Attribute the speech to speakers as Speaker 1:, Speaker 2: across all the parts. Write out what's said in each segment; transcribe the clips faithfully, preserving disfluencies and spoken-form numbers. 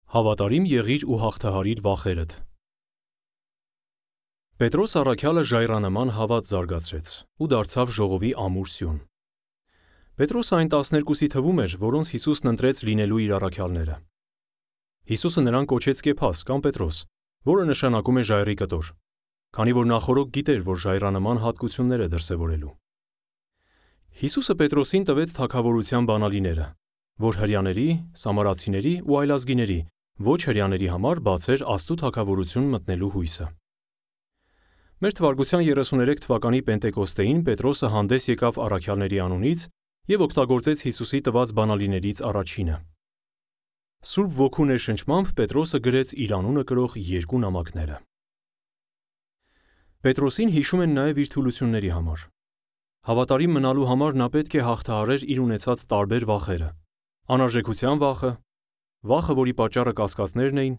Speaker 1: Հավատարիմ եղիր ու հաղթահարիր վախերդ։ Պետրոս առաքյալը ժայռանման հավատ զարգացրեց ու դարձավ ժողովի ամուր սյուն։ Պետրոսը այն տասներկուսի թվում էր, որոնց Հիսուսն ընտրեց լինելու իր առաքյալները։ Հիսուսը նրան կոչեց Կեփաս կամ Պետրոս, որը նշանակում է ժայռի կտոր, քանի որ նախօրոք գիտեր, որ ժայռանման հատկություններ է դրսևորելու։ Հիսուսը Պետրոսին տվեց թագավորության բանալիները, որ հրեաների, սամարացիների ու այլազգիների, ոչ հրեաների համար բացեր Աստծո թագավորություն մտնելու հույսը։ Մեր թվարկության երեսուներեք թվականի Պենտեկոստեին Պետրոսը հանդես եկավ առաքյալների անունից և օգտագործեց Հիսուսի տված բանալիներից առաջինը։ Սուրբ Ոգու ներշնչմամբ Պետրոսը գրեց իր անունը կրող երկու նամակները։ Պետրոսին հիշում են նաև իր թուլությունների համար։ Հավատարիմ մնալու համար նա պետք է հաղթահարեր իր ունեցած տարբեր վախերը՝ անարժեքության վախը, վախը, որի պատճառը կասկածներն էին,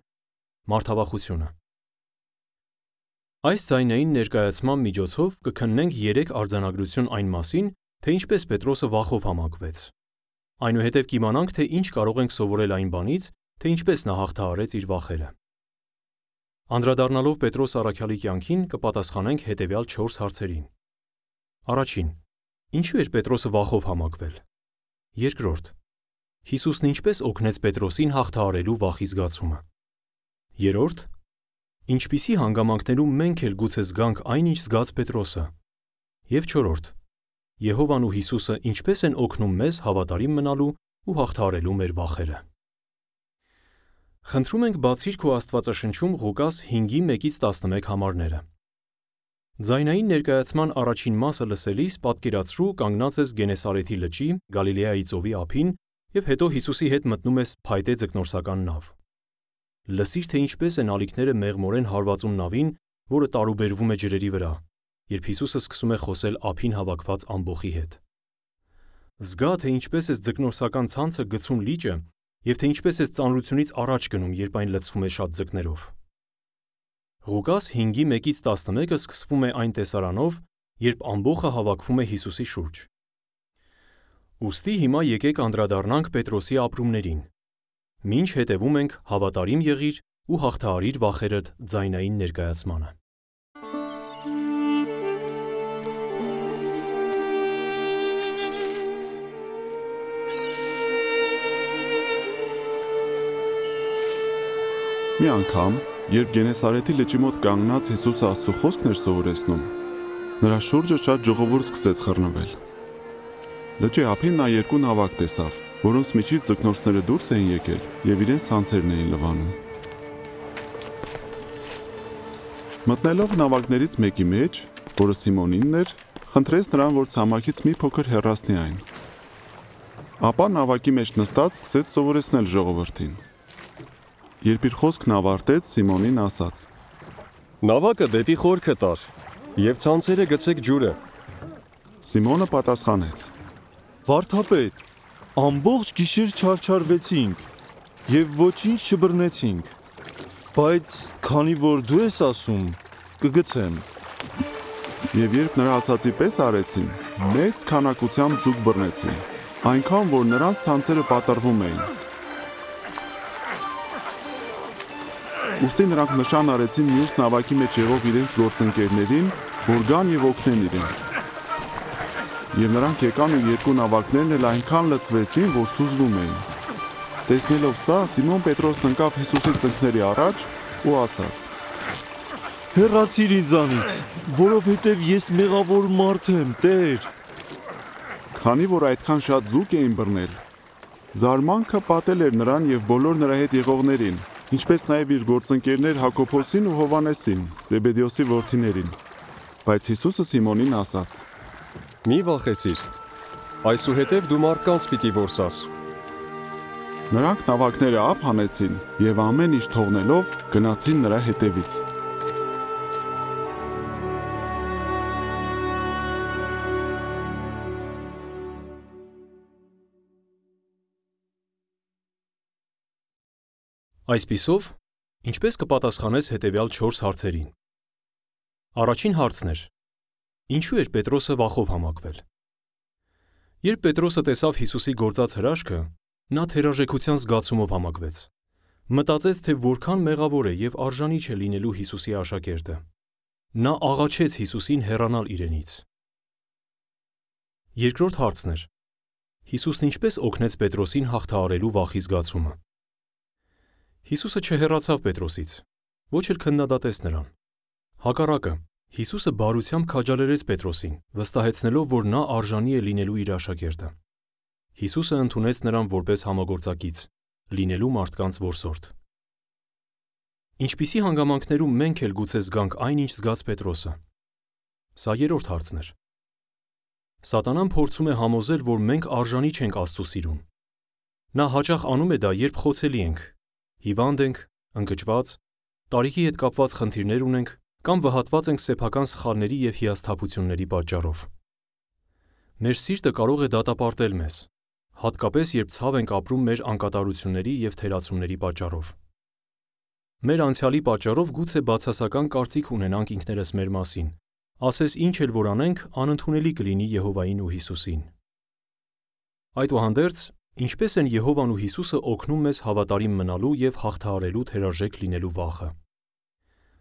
Speaker 1: մարդավախությունը։ Այս ձայնային ներկայացման միջոցով կքննենք երեք արձանագրություն այն մասին, թե ինչպես Պետրոսը վախով համակվեց։ Այնուհետև կիմանանք, թե ինչ կարող ենք սովորել այն բանից, թե ինչպես նա հաղթահարեց իր վախերը։ Անդրադառնալով Պետրոս առաքյալի կյանքին, կպատասխանենք հետևյալ չորս հարցերին։ Առաջին. Ինչու էր Պետրոսը վախով համակվել։ Երկրորդ. Հիսուսն ինչպես օգնեց Պետրոսին հաղթահարելու վախի զգացումը։ Երրորդ. Ինչպիսի հանգամանքներում մենք էլ գուցե զգանք այն, ինչ զգաց Պետրոսը։ Եվ չորրորդ. Եհովան ու Հիսուսը ինչպես են օգնում մեզ հավատարիմ մնալու ու հաղթահարելու մեր վախերը։ Խնդրում ենք բացիր քո Աստվածաշնչում Ղուկաս հինգի մեկից տասնմեկ համարները։ Ձայնային ներկայացման առաջին մասը լսելիս պատկերացրու կանգնած ես Գենեսարեթի լճի, Գալիլեայի ծովի ափին և հետո Հիսուսի հետ մտնում ես փայտե ձկնորսական նավ։ Լսիր, թե ինչպես են ալիքները մեղմորեն հարվածում նավին, որը տարուբերվում է ջրերի վրա, երբ Հիսուսը սկսում է խոսել ափին հավաքված ամբոխի հետ։ Զգա, թե ինչպես ես ձկնորսական ցանցը գցում լիճը և թե ինչպես ես ծանրությունից առաջ գնում, երբ այն լցվում է շատ ձկներով։ Ղուկաս հինգի մեկից տասնմեկը սկսվում է այն տեսարանով, երբ ամբոխը հավաքվում է Հիսուսի շուրջ։ Ուստի հիմա եկեք անդրադառնանք Պետրոսի ապրումներին։ Մինչ հետևում ենք հավատարիմ եղիր ու հաղթահարիր վախերդ ձայնային ներկայացմանը։
Speaker 2: Մի անգամ, երբ Գենեսարեթի լճի մոտ կանգնած Հիսուսը Աստծո խոսքն էր սովորեցնում, նրա շուրջը շատ ժողովուրդ սկսեց խռնվել։ Լճի ափին նա երկու նավակ տեսավ, որոնց միջից ձկնորսները դուրս էին եկել և իրենց ցանցերն էին լվանում։ Մտնելով նավակներից մեկի մեջ, որը Սիմոնինն էր, խնդրեց նրան, որ ցամաքից մի փոքր հեռացնի այն։ Ապա նավակի մեջ նստած սկսեց սովորեցնել ժողովրդին։ Երբ իր խոսքն ավարտեց, Սիմոնին ասաց.
Speaker 3: Նավակը դեպի խորքը տար և ցանցերը գցեք ջուրը։
Speaker 2: Սիմոնը պատասխանեց.
Speaker 4: Վարդապետ, ամբողջ գիշեր չարչարվեցինք և ոչինչ չբռնեցինք, բայց քանի որ դու ես ասում, կգցեմ։
Speaker 2: Եվ երբ նրա ասածի պես արեցին, մեծ քանակությամբ ձուկ բռնեցին, այնքան, որ նրանց ցանցերը պատռվում էին։ Ուստի նրանք նշան արեցին մյուս նավակի մեջ եղող իրենց գործընկերներին, որ գան և օգնեն իրենց։ Եվ նրանք եկան ու երկու նավակներն էլ այնքան լցվեցին, որ սուզվում էին։ Տեսնելով սա, Սիմոն Պետրոսն ընկավ Հիսուսի ծնկների առաջ ու ասաց.
Speaker 4: Հեռացիր ինձանից, որովհետև ես մեղավոր մարդ եմ, Տեր։
Speaker 2: Քանի որ այդքան շատ ձուկ էին բռնել, զարմանքը պատել էր նրան և բոլոր նրա հետ եղողներին, ինչպես նաև իր գործընկերներ Հակոբոսին ու Հովհաննեսին, Զեբեդեոսի որդիներին։ Բայց Հիսուսը Սիմոնին ասաց.
Speaker 3: Մի վախեցիր, այսուհետև դու մարդկանց պիտի որսաս։
Speaker 2: Նրանք նավակները ափ հանեցին և ամեն ինչ թողնելով գնացին նրա հետևից։
Speaker 1: Այսպիսով, ինչպես կպատասխանես հետևյալ չորս հարցերին։ Առաջին հարցն էր. ինչու էր Պետրոսը վախով համակվել։ Երբ Պետրոսը տեսավ Հիսուսի գործած հրաշքը, նա թերարժեքության զգացումով համակվեց։ Մտածեց, թե որքան մեղավոր է և արժանի չէ լինելու Հիսուսի աշակերտը։ Նա աղաչեց Հիսուսին հեռանալ իրենից։ Երկրորդ հարցն էր. Հիսուսն ինչպես օգնեց Պետրոսին հաղթահարելու վախի զգացումը։ Հիսուսը չհեռացավ Պետրոսից, ոչ էլ քննադատեց նրան։ Հակառակը, Հիսուսը բարությամբ քաջալերեց Պետրոսին, վստահեցնելով, որ նա արժանի է լինելու իր աշակերտը։ Հիսուսը ընդունեց նրան որպես համագործակից, լինելու մարդկանց որսորդ։ Ինչպիսի հանգամանքներում մենք էլ գուցե զգանք այն, ինչ զգաց Պետրոսը։ Սա երրորդ հարցն էր։ Սատանան փորձում է համոզել, որ մենք արժանի չենք Աստծու սիրուն։ Նա հաճախ անում է դա, երբ խոցելի ենք, հիվանդ ենք, ընկճված, տարիքի հետ կապված խնդիրներ ունենք կամ վհատված ենք սեփական սխալների և հիասթափությունների պատճառով։ Մեր սիրտը կարող է դատապարտել մեզ, հատկապես երբ ցավ ենք ապրում մեր անկատարությունների և թերացումների պատճառով։ Մեր անցյալի պատճառով գուցե բացասական կարծիք ունենանք ինքներս մեր մասին, ասես ինչ էլ որ անենք, անընդունելի կլինի Եհովային ու Հիսուսին։ Այդուհանդերձ, ինչպես են Եհովան ու Հիսուսը օգնում մեզ հավատարիմ մնալու և հաղթահարելու թերարժեք լինելու վախը։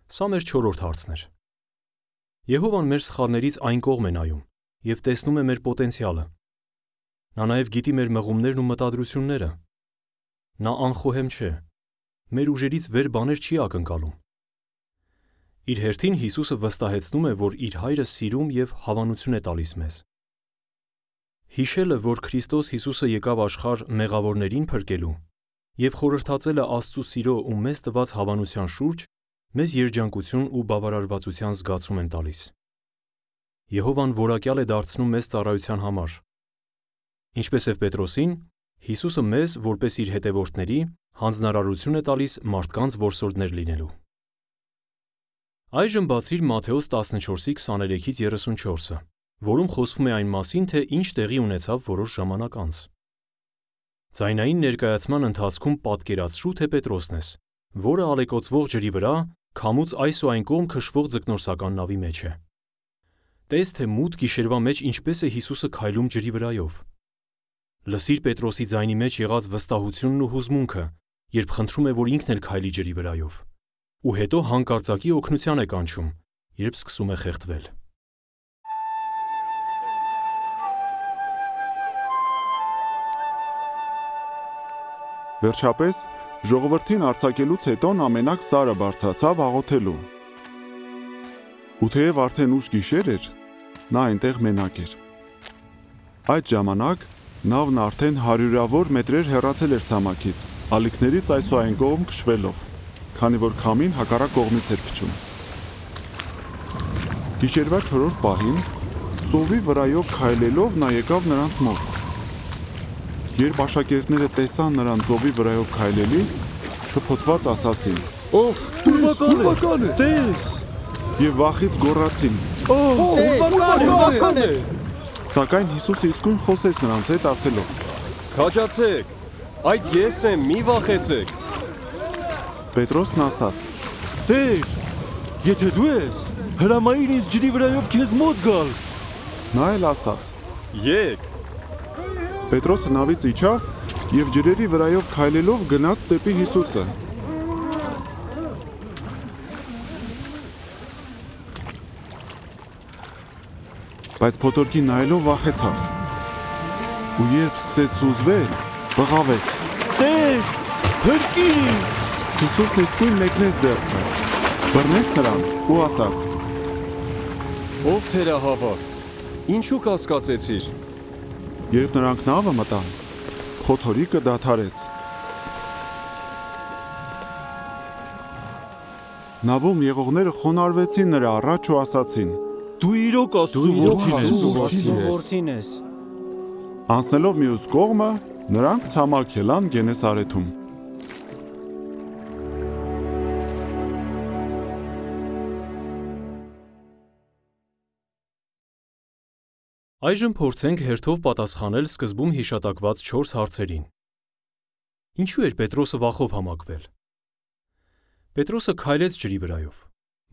Speaker 1: Սա մեր չորրորդ հարցն էր։ Եհովան մեր սխալներից այն կողմ է նայում և տեսնում է մեր պոտենցիալը։ Նա նաև գիտի մեր մղումներն ու մտադրությունները։ Նա անխոհեմ չէ, մեր ուժերից վեր բաներ չի ակնկալում։ Իր հերթին Հիսուսը վստահեցնում է, որ իր Հայրը սիրում և հավանություն է տալիս մեզ։ Հիշելը, որ Քրիստոս Հիսուսը եկավ աշխարհ մեղավորներին փրկելու և խորհրդածել է Աստծու սիրո ու մեզ տված հավանության շուրջ, մեզ երջանկություն ու բավարարվածության զգացում են տալիս։ Եհովան որակյալ է դարձնում մեզ ծառայության համար։ Ինչպես և Պետրոսին, Հիսուսը մեզ, որպես իր հետևորդների, հանձնարարություն է տալիս մարդկանց որսորդներ լինելու։ Այժմ բացիր Մատթեոս տասնչորսի քսաներեքից երեսունչորսը, որում խոսվում է այն մասին, թե ինչ տեղի ունեցավ որոշ ժամանակ անց։ Ձայնային ներկայացման ընթացքում պատկերացրու, թե Պետրոսն ես, որը ալեկոծվող ջրի վրա, քամուց այս ու այն կողմ քշվող ձկնորսական նավի մեջ է։ Տես, թե մութ գիշերվա մեջ ինչպես է Հիսուսը քայլում ջրի վրայով։ Լսիր Պետրոսի ձայնի մեջ եղած վստահությունն ու հուզմունքը, երբ խնդրում է, որ ինքն էլ քայլի ջրի վրայով, ու հետո հանկարծակի օգնության է կանչում, երբ սկսում է խեղդվել։
Speaker 2: Վերջապես, ժողովրդին արձակելուց հետո նա մենակ Սարը բարձրացավ աղոթելու։ Ու թեև արդեն ուշ գիշեր էր, նա այնտեղ մենակ էր։ Այդ ժամանակ նավն արդեն հարյուրավոր մետրեր հեռացել էր ցամաքից, ալիքներից այս ու այն կողմ քշվելով, քանի որ քամին հակառակ կողմից էր փչում։ Գիշերվա չորրորդ պահին, ծովի վրայով քայլելով նա եկավ նրանց մոտ։ Երբ աշակերտները տեսան նրան ծովի վրայով քայլելիս, շփոթված ասացին.
Speaker 4: Օհ, ուրվական է, տես։
Speaker 2: Եվ վախից գոռացին.
Speaker 4: Օհ, ուրվական է։
Speaker 2: Սակայն Հիսուսը իսկույն խոսեց նրանց հետ ասելով.
Speaker 3: Քաջացեք, այդ ես եմ, մի վախեցեք։
Speaker 2: Պետրոսն ասաց.
Speaker 4: Տեր, եթե դու ես, հրամայիր ինձ ջրի վրայով քեզ մոտ գալ։
Speaker 2: Նա էլ ասաց.
Speaker 3: Եկ։
Speaker 2: Պետրոսը նավից իջավ և ջրերի վրայով քայլելով գնաց դեպի Հիսուսը։ Բայց փոթորկին նայելով վախեցավ։ Ու երբ սկսեց սուզվել, բղավեց.
Speaker 4: Տեր, փրկիր։
Speaker 2: Հիսուսն իսկույն մեկնեց ձեռքը, բռնեց նրան ու ասաց.
Speaker 3: Ով թերահավատ, ինչու կասկածեցիր։
Speaker 2: Երբ նրանք նավը մտան, փոթորիկը դադարեց։ Նավում եղողները խոնարհվեցին նրա առաջ ու ասացին.
Speaker 4: Դու իրոք Աստծու
Speaker 5: որդին ես։
Speaker 2: Անցնելով մյուս կողմը, նրանք ցամաք ելան Գենեսարեթում։
Speaker 1: Այժմ փորձենք հերթով պատասխանել սկզբում հիշատակված չորս հարցերին։ Ինչու էր Պետրոսը վախով համակվել։ Պետրոսը քայլեց ջրի վրայով,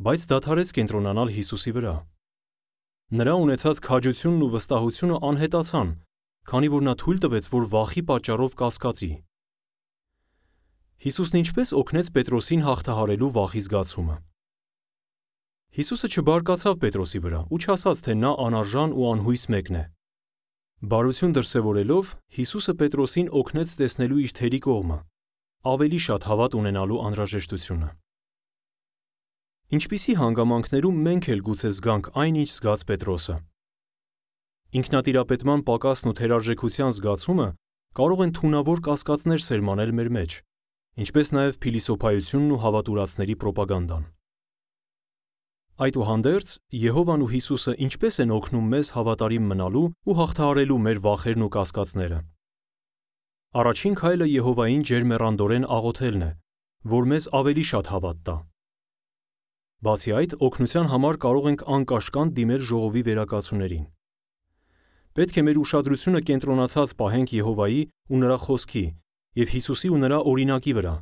Speaker 1: բայց դադարեց կենտրոնանալ Հիսուսի վրա։ Նրա ունեցած քաջությունն ու վստահությունը անհետացան, քանի որ նա թույլ տվեց, որ վախի պատճառով կասկածի։ Հիսուսն ինչպես օգնեց Պետրոսին հաղթահարելու վախի զգացումը։ Հիսուսը չբարկացավ Պետրոսի վրա ու չասաց, թե նա անարժան ու անհույս մեկն է։ Բարություն դրսևորելով, Հիսուսը Պետրոսին օգնեց տեսնելու իր թերի կողմը, ավելի շատ հավատ ունենալու անհրաժեշտությունը։ Ինչպիսի հանգամանքներում մենք էլ գուցե զգանք այն, ինչ զգաց Պետրոսը։ Ինքնատիրապետման պակասն ու թերարժեքության զգացումը կարող են թունավոր կասկածներ սերմանել մեր մեջ, ինչպես նաև փիլիսոփայությունն ու հավատուրացների պրոպագանդան։ Այդուհանդերձ, Եհովան ու Հիսուսը ինչպես են օգնում մեզ հավատարիմ մնալու ու հաղթահարելու մեր վախերն ու կասկածները։ Առաջին քայլը Եհովային ջերմեռանդորեն աղոթելն է, որ մեզ ավելի շատ հավատ տա։ Բացի այդ, օգնության համար կարող ենք անկաշկանդ դիմել ժողովի վերակացուներին։ Պետք է մեր ուշադրությունը կենտրոնացած պահենք Եհովայի ու նրա խոսքի և Հիսուսի ու նրա օրինակի վրա,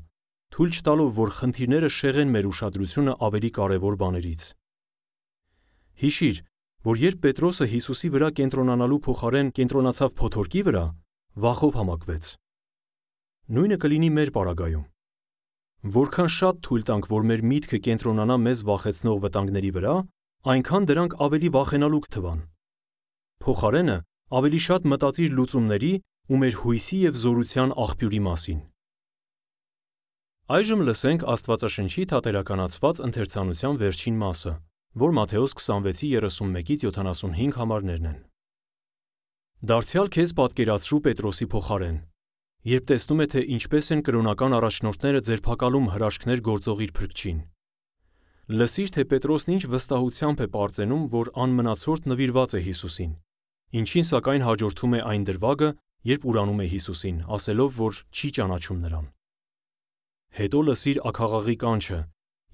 Speaker 1: թույլ չտալով, որ խնդիրները շեղեն մեր ուշադրությունը ավելի կարևոր բաներից։ Հիշիր, որ երբ Պետրոսը Հիսուսի վրա կենտրոնանալու փոխարեն կենտրոնացավ փոթորկի վրա, վախով համակվեց։ Նույնը կլինի մեր պարագայում։ Որքան շատ թույլ տանք, որ մեր միտքը կենտրոնանա մեզ վախեցնող վտանգների վրա, այնքան դրանք ավելի վախենալու կթվան։ Փոխարենը ավելի շատ մտածիր լուծումների ու մեր հույսի և զորության աղբյուրի մասին։ Այժմ լսենք Աստվածաշնչի թատերականացված ընթերցանության վերջին մասը, որ Մատթեոս քսանվեցի երեսունմեկից յոթանասունհինգ համարներն են։ Դարձյալ քեզ պատկերացրու Պետրոսի փոխարեն, երբ տեսնում է, թե ինչպես են կրոնական առաջնորդները ձերբակալում հրաշքներ գործող իր փրկչին։ Լսիր, թե Պետրոսն ինչ վստահությամբ է պարծենում, որ անմնացորդ նվիրված է Հիսուսին, ինչին սակայն հաջորդում է այն դրվագը, երբ ուրանում է Հիսուսին, ասելով, որ չի ճանաչում նրան։ Հետո լսիր աքաղաղի կանչը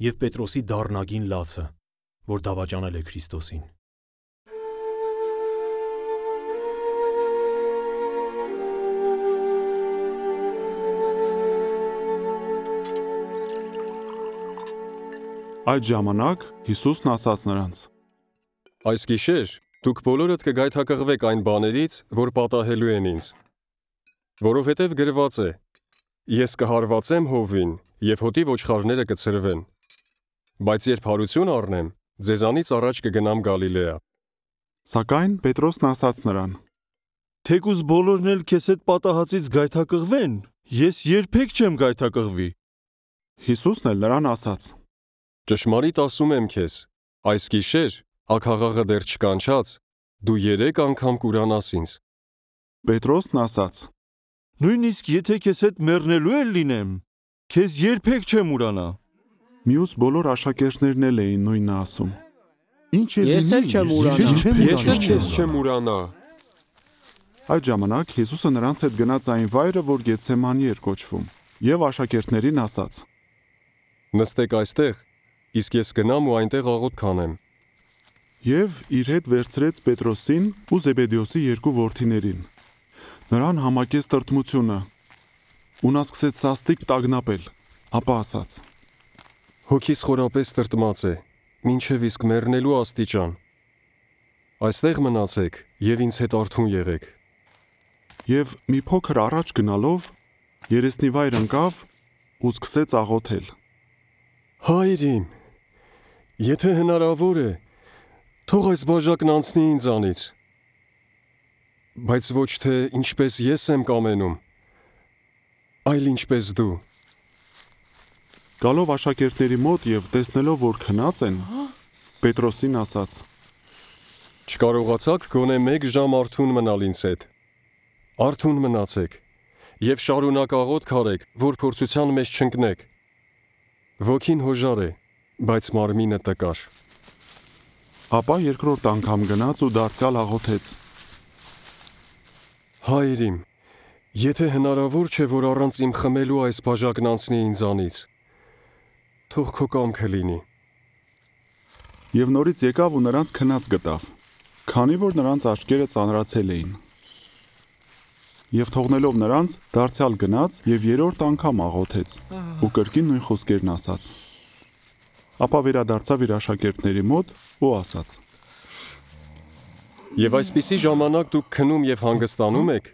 Speaker 1: և Պետրոսի դառնագին լացը, որ դավաճանել է Քրիստոսին։
Speaker 2: Այդ ժամանակ Հիսուսն ասաց նրանց.
Speaker 3: Այս գիշեր դուք բոլորդ կգայթակղվեք այն բաներից, որ պատահելու են ինձ։ Որովհետև գրված է. Ես կհարվածեմ հովին, և հոտի ոչխարները կցրվեն։ Բայց երբ հարություն առնեմ, ձեզանից առաջ կգնամ Գալիլեա։
Speaker 2: Սակայն Պետրոսն ասաց նրան.
Speaker 4: Թեկուզ բոլորն էլ քեզ հետ պատահածից գայթակղվեն, ես երբեք չեմ գայթակղվի։
Speaker 2: Հիսուսն էլ նրան ասաց.
Speaker 3: Ճշմարիտ ասում եմ քեզ, այս գիշեր, աքաղաղը դեռ չկանչած, դու երեք անգամ կուրանաս ինձ։
Speaker 2: Պետրոսն ասաց.
Speaker 4: Նույնիսկ եթե քեզ հետ մեռնելու էլ լինեմ, քեզ երբեք չեմ ուրանա։
Speaker 2: Մյուս բոլոր աշակերտներն էլ էին նույնը ասում։
Speaker 5: Ինչ է Ես էլ չեմ ուրանա։
Speaker 3: Ես էլ քեզ չեմ ուրանա։
Speaker 2: Այդ ժամանակ Հիսուսը նրանց հետ գնաց այն վայրը, որ Գեթսեմանի էր կոչվում, և աշակերտներին ասաց.
Speaker 3: Նստեք այստեղ, իսկ ես գնամ ու այնտեղ աղոթք կանեմ։
Speaker 2: Եվ իր հետ վերցրեց Պետրոսին ու Զեբեդեոսի երկու որդիներին։ Նրան համակեց տրտմությունը, ու նա սկսեց սաստիկ տագնապել, ապա ասաց.
Speaker 3: Հոգիս խորապես տրտմած է, մինչև իսկ մեռնելու աստիճան։ Այստեղ մնացեք և ինձ հետ արթուն եղեք։
Speaker 2: Եվ մի փոքր առաջ գնալով, երեսնի վայր ընկավ ու սկսեց աղոթել.
Speaker 3: Հայր իմ, եթե հնարավոր է, թող այս բաժակն անցնի ինձանից, բայց ոչ թե ինչպես ես եմ կամենում, այլ ինչպես դու։
Speaker 2: Գալով աշակերտների մոտ և տեսնելով, որ քնած են, Պետրոսին ասաց.
Speaker 3: Չկարողացաք գոնե մեկ ժամ արթուն մնալ ինձ հետ։ Արթուն մնացեք և շարունակ աղոթք արեք, որ փորձության մեջ չընկնեք։ Ոգին հոժար է, բայց մարմինը տկար։
Speaker 2: Ապա երկրորդ անգամ գնաց ու դարձյալ աղոթեց.
Speaker 3: Հայր իմ, եթե հնարավոր չէ, որ առանց իմ խմելու այս բաժակն անցնի ինձանից, թող քո կամքը լինի։
Speaker 2: Եվ նորից եկավ ու նրանց քնած գտավ, քանի որ նրանց աչքերը ծանրացել էին։ Եվ թողնելով նրանց, դարձյալ գնաց և երրորդ անգամ աղոթեց ու կրկին նույն խոսքերն ասաց։ Ապա վերադարձավ իր աշակերտների մոտ ու ասաց.
Speaker 3: Եվ այսպիսի ժամանակ դուք քնում և հանգստանում եք,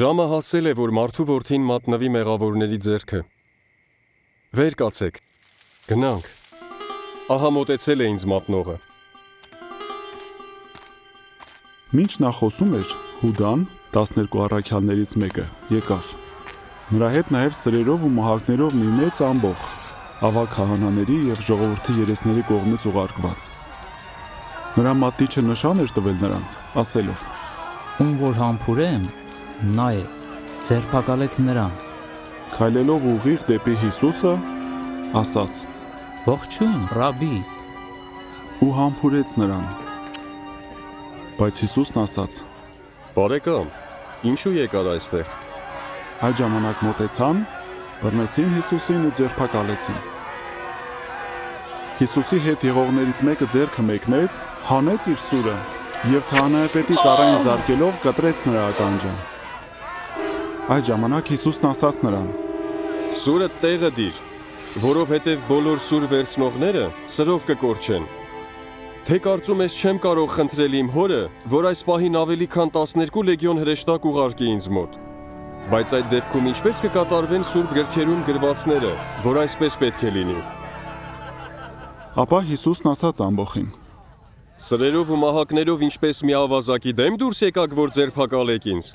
Speaker 3: ժամը հասել է, որ մարդու որդին մատնվի մեղավորների ձեռքը։ Վեր կացեք։ Գնանք։ Ահա մոտեցել է ինձ մատնողը։
Speaker 2: Մինչ նա խոսում էր, Հուդան, տասներկու առաքյալներից մեկը, եկավ։ Նրա հետ նաև սրերով ու մահակներով մի մեծ ամբոխ, ավագ քահանաների եւ ժողովրդի երեսների կողմից ուղարկված։ Նրա մատիչը նշան էր տվել նրանց, ասելով.
Speaker 6: Ում որ համբուրեմ, նա է, ձերբակալեք նրան։
Speaker 2: Քայլելով ուղիղ դեպի Հիսուսը, ասաց.
Speaker 6: Ողջույն, ռաբի։
Speaker 2: Ու համբուրեց նրան։ Բայց Հիսուսն ասաց.
Speaker 3: Բարեկամ, ինչու եկար այստեղ։
Speaker 2: Այդ ժամանակ մոտեցան, բռնեցին Հիսուսին ու ձերբակալեցին։ Հիսուսի հետ եղողներից մեկը ձեռքը մեկնեց, հանեց իր սուրը եւ քահանայապետի ծառային զարկելով կտրեց նրա ականջը։ Այդ ժամանակ Հիսուսն ասաց նրան.
Speaker 3: Սուրը տեղը դիր, որովհետև բոլոր սուր վերցնողները սրով կկորչեն։ Թե կարծում ես չեմ կարող խնդրել իմ հորը, որ այս պահին ավելի քան տասներկու լեգիոն հրեշտակ ուղարկի ինձ մոտ։ Բայց այդ դեպքում ինչպես կկատարվեն սուրբ գրքերում գրվածները, որ այսպես պետք է լինի։
Speaker 2: Ապա Հիսուսն ասաց ամբոխին.
Speaker 3: Սրերով ու մահակներով ինչպես մի ավազակի դեմ դուրս եկաք, որ ձերբակալեք ինձ։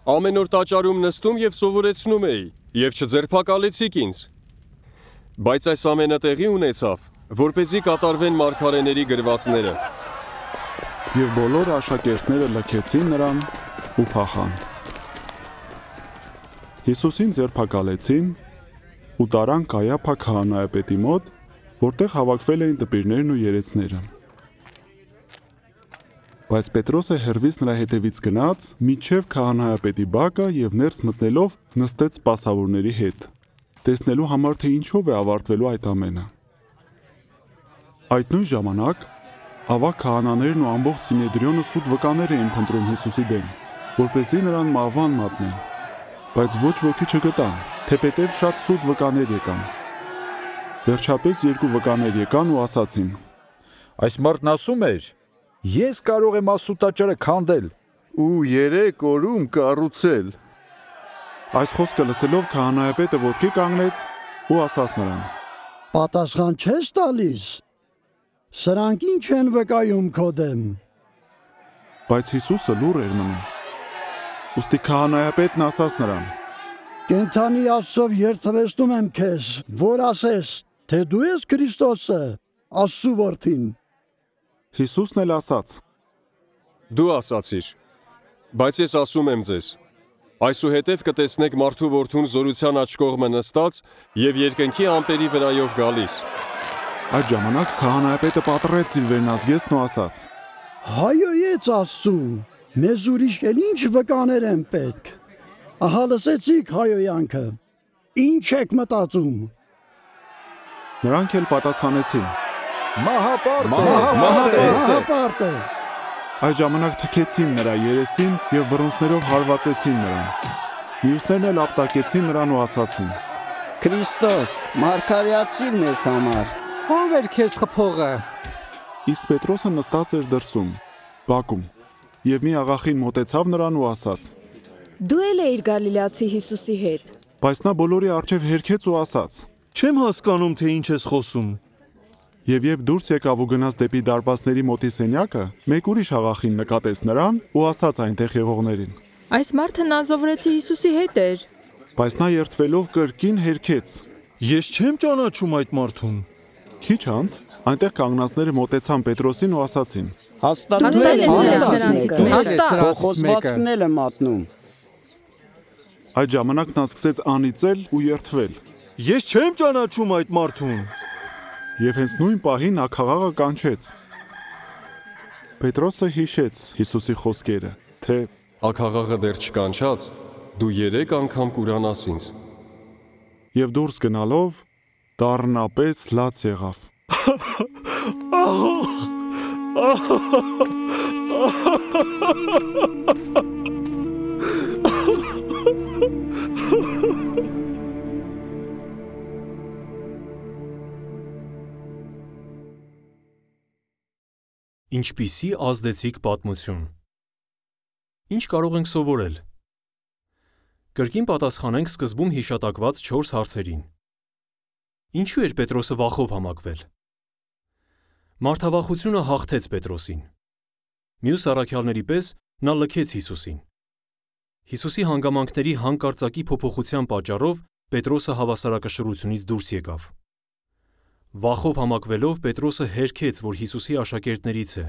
Speaker 3: Ամեն օր տաճարում նստում եւ սովորեցնում էի, եւ չձերբակալեցիք ինձ։ Բայց այս ամենը տեղի ունեցավ, որպեսզի կատարվեն մարգարեների գրվածները։
Speaker 2: Եվ բոլոր աշակերտները լքեցին նրան ու փախան։ Հիսուսին ձերբակալեցին ու տարան Կայափա քահանայապետի մոտ, որտեղ հավաքվել էին դպիրներն ու երեցները։ Բայց Պետրոսը հեռվից նրա հետևից գնաց, մինչև քահանայապետի բակը եւ ներս մտնելով նստեց սպասավորների հետ, տեսնելու համար թե ինչով է ավարտվելու այդ ամենը։ Այդ նույն ժամանակ ավագ քահանաներն ու ամբողջ Սինեդրիոնը սուտ վկաներ էին փնտրում Հիսուսի դեմ, որպեսզի նրան մահվան մատնեն, բայց ոչ ոքի չգտան, թեպետև շատ սուտ վկաներ եկան։ Վերջապես երկու վկաներ եկան ու ասացին.
Speaker 7: Այս մարդն ասում էր. Ես կարող եմ Աստծո տաճարը քանդել
Speaker 5: ու երեք օրում կառուցել։
Speaker 2: Այս խոսքը լսելով քահանայապետը ոտքի կանգնեց ու ասաց նրան.
Speaker 8: Պատասխան չես տալիս։ Սրանք ինչ են վկայում քո դեմ։
Speaker 2: Բայց Հիսուսը լուռ էր մնում։ Ուստի քահանայապետն ասաց նրան.
Speaker 8: Կենթանի Աստծով երդվեցնում եմ քեզ, որ ասես, թե դու ես Քրիստոսը, Աստծո որդին։
Speaker 2: Հիսուսն էլ ասաց.
Speaker 3: Դու ասացիր, բայց ես ասում եմ ձեզ, այսուհետև կտեսնեք մարդու որդուն զորության աջ կողմը նստած եւ երկնքի ամպերի վրայով գալիս։
Speaker 2: Այդ ժամանակ քահանայապետը պատռեց իր վերնազգեստն ու ասաց.
Speaker 8: Հայոյեց Աստծուն, մեզ ուրիշ էլ ինչ վկաներ են պետք։ Ահա լսեցիք հայոյանքը։ Ինչ եք մտածում։
Speaker 2: Նրանք էլ պատասխանեցին.
Speaker 7: Մահապարտ է,
Speaker 8: Մահապարտ է։
Speaker 2: Այդ ժամանակ թքեցին նրա երեսին եւ բռունցքներով հարվածեցին նրան։ Մյուսներն էլ ապտակեցին նրան ու ասացին.
Speaker 9: Քրիստոս, մարգարեացիր մեզ համար։
Speaker 10: Ո՞վ էր քեզ խփողը։
Speaker 2: Իսկ Պետրոսը նստած էր դրսում, բակում, եւ մի աղախին մոտեցավ նրան ու ասաց.
Speaker 11: Դու էլ էիր Գալիլեացի Հիսուսի հետ։
Speaker 2: Բայց նա բոլորի առջև հերքեց ու ասաց.
Speaker 4: Չեմ հասկանում, թե ինչ ես խոսում։
Speaker 2: Եվ երբ դուրս եկավ ու գնաց դեպի դարպասների մոտի սենյակը, մեկ ուրիշ աղախին նկատեց նրան ու ասաց այնտեղ եղողներին.
Speaker 11: Այս մարդը Նազովրեցի Հիսուսի հետ էր։
Speaker 2: Բայց նա երդվելով կրկին հերքեց.
Speaker 4: Ես չեմ ճանաչում այդ մարդուն։
Speaker 2: Քիչ անց այնտեղ կանգնածները մոտեցան Պետրոսին ու ասացին.
Speaker 9: Հաստատ
Speaker 11: Հաստատ ես նրանցից մեկը։ Հաստատ։
Speaker 9: Քո խոսվածքն էլ եմ մատնում։
Speaker 2: Այդ ժամանակ նա սկսեց անիծել ու երդվել։
Speaker 4: Ես չեմ ճանաչում այդ մարդուն։
Speaker 2: Եվ հենց նույն պահին նա քաղաքը կանչեց։ Պետրոսը հիշեց Հիսուսի խոսքերը, թե
Speaker 3: Աքաղաղը դեռ չկանչած, դու երեք անգամ կուրանաս ինձ։
Speaker 2: Եվ դուրս գնալով դառնապես լաց եղավ։
Speaker 1: Ինչպիսի ազդեցիկ պատմություն։ Ինչ կարող ենք սովորել։ Կրկին պատասխանենք սկզբում հիշատակված չորս հարցերին։ Ինչու էր Պետրոսը վախով համակվել։ Մարդավախությունը հաղթեց Պետրոսին։ Մյուս առաքյալների պես նա լքեց Հիսուսին։ Հիսուսի հանգամանքների հանկարծակի փոփոխության պատճառով Պետրոսը հավասարակշռությունից դուրս եկավ։ Վախով համակվելով Պետրոսը հերքեց, որ Հիսուսի աշակերտներից է։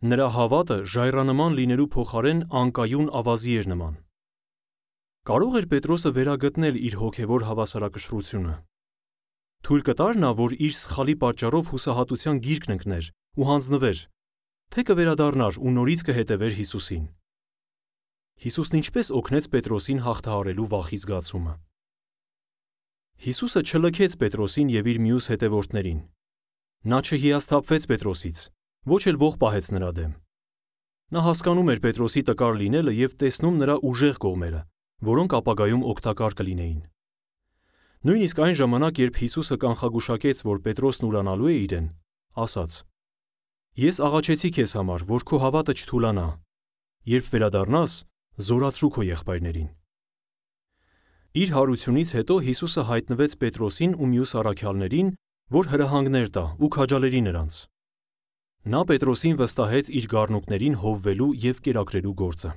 Speaker 1: Նրա հավատը ժայռանման լինելու փոխարեն անկայուն ավազի էր նման։ Կարող էր Պետրոսը վերագտնել իր հոգևոր հավասարակշռությունը։ Թույլ կտար նա, որ իր սխալի պատճառով հուսահատության գիրկն ընկներ ու հանձնվեր, թե կվերադառնար ու նորից կհետևեր Հիսուսին։ Հիսուսն ինչպես օգնեց Պետրոսին հաղթահարելու վախի զգացումը։ Հիսուսը չլքեց Պետրոսին և իր մյուս հետևորդներին։ Նա չհիասթափվեց Պետրոսից, ոչ էլ ոխ պահեց նրա դեմ։ Նա հասկանում էր Պետրոսի տկար լինելը և տեսնում նրա ուժեղ կողմերը, որոնք ապագայում օգտակար կլինեին։ Նույնիսկ այն ժամանակ, երբ Հիսուսը կանխագուշակեց, որ Պետրոսն ուրանալու է իրեն, ասաց. Ես աղաչեցի քեզ համար, որ քո հավատը չթուլանա, երբ վերադառնաս, զորացրու քո եղբայրներին։ Իր հարությունից հետո Հիսուսը հայտնվեց Պետրոսին ու մյուս առաքյալներին, որ հրահանգներ տա ու քաջալերի նրանց։ Նա Պետրոսին վստահեց իր գառնուկներին հովվելու և կերակրելու գործը։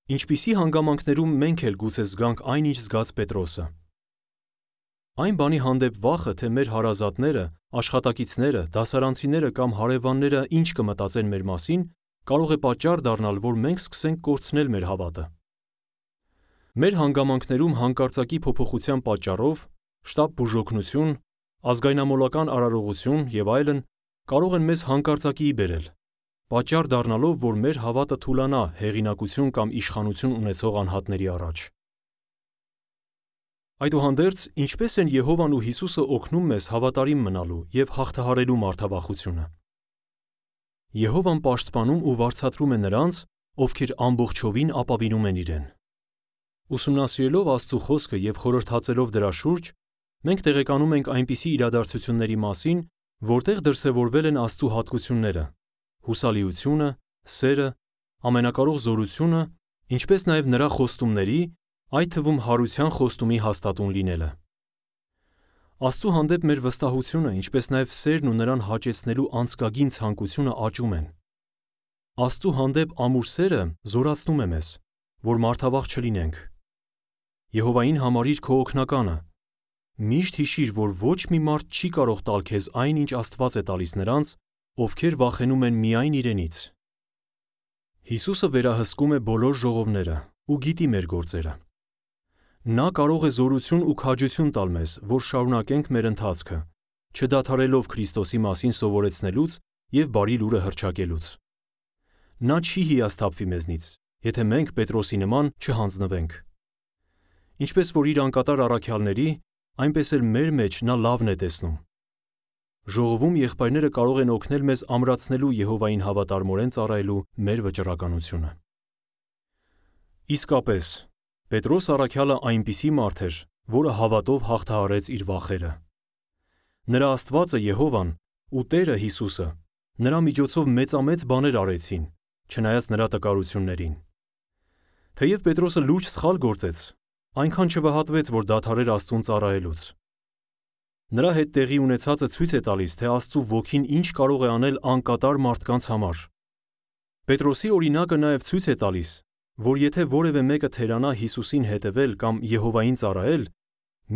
Speaker 1: Ինչպիսի հանգամանքներում մենք էլ գուցե զգանք այն, ինչ զգաց Պետրոսը։ Այն բանի հանդեպ վախը, թե մեր հարազատները, աշխատակիցները, դասարանցիները կամ հարևանները ինչ կմտածեն մեր մասին, կարող է պատճառ դառնալ, որ մենք սկսենք կորցնել մեր հավատը։ Մեր հանգամանքներում հանկարծակի փոփոխության պատճառով շտապ բուժօգնություն, ազգայնամոլական արարողություն և այլն կարող են մեզ հանկարծակիի բերել, պատճառ դառնալով, որ մեր հավատը թուլանա հեղինակություն կամ իշխանություն ունեցող անհատների առաջ։ Այդուհանդերձ, ինչպես են Եհովան ու Հիսուսը օգնում մեզ հավատարիմ մնալու և հաղթահարելու մարդավախությունը։ Եհովան պաշտպանում ու վարձատրում է նրանց, ովքեր ամբողջովին ապավինում են իրեն։ Ուսումնասիրելով Աստծու խոսքը և խորհրդածելով դրա շուրջ, մենք տեղեկանում ենք այնպիսի իրադարձությունների մասին, որտեղ դրսևորվել են Աստծու հատկությունները՝ հուսալիությունը, սերը, ամենակարող զորությունը, ինչպես նաև նրա խոստումների, այդ թվում հարության խոստումի հաստատուն լինելը։ Աստծու հանդեպ մեր վստահությունը, ինչպես նաև սերն ու նրան հաճեցնելու անցկագին ցանկությունը աճում են։ Աստծու հանդեպ ամուր սերը զորացնում է մեզ, որ մարդավախ չլինենք։ Եհովային համարիր քո օգնականը։ Միշտ հիշիր, որ ոչ մի մարդ չի կարող տալ քեզ այն, ինչ Աստված է տալիս նրանց, ովքեր վախենում են միայն իրենից։ Հիսուսը վերահսկում է բոլոր ժողովները ու գիտի մեր գործերը։ Նա կարող է զորություն ու քաջություն տալ մեզ, որ շարունակենք մեր ընթացքը, չդադարելով Քրիստոսի մասին սովորեցնելուց և բարի լուրը հռչակելուց։ Նա չի հիասթափվի մեզնից, եթե մենք Պետրոսի նման չհանձնվենք։ Ինչպես որ իր անկատար առաքյալների, այնպես էլ մեր մեջ նա լավն է տեսնում։ Ժողովում եղբայրները կարող են օգնել մեզ ամրացնելու Եհովային հավատարմորեն ծառայելու մեր վճռականությունը։ Իսկապես, Պետրոս առաքյալը այնպիսի մարդ էր, որը հավատով հաղթահարեց իր վախերը։ Նրա Աստվածը Եհովան ու Տերը Հիսուսը նրա միջոցով մեծամեծ բաներ արեցին, չնայած նրա տկարություններին։ Թեև Պետրոսը լուրջ սխալ գործեց, այնքան չվհատվեց, որ դադարեր Աստծուն ծառայելուց։ Նրա հետ տեղի ունեցածը ցույց է տալիս, թե Աստծու ոգին ինչ կարող է անել անկատար մարդկանց համար։ Պետրոսի օրինակը նաև ցույց է տալիս, որ եթե որևէ մեկը թերանա Հիսուսին հետևել կամ Եհովային ծառայել,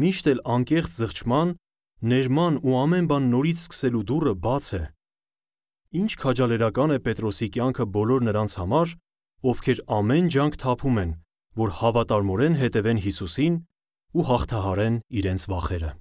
Speaker 1: միշտ էլ անկեղծ զղջման, ներման ու ամեն բան նորից սկսելու դուռը բաց է։ Ինչ քաջալերական է Պետրոսի կյանքը բոլոր նրանց համար, ովքեր ամեն ջանք թափում են, որ հավատարմորեն հետևեն Հիսուսին ու հաղթահարեն իրենց վախերը։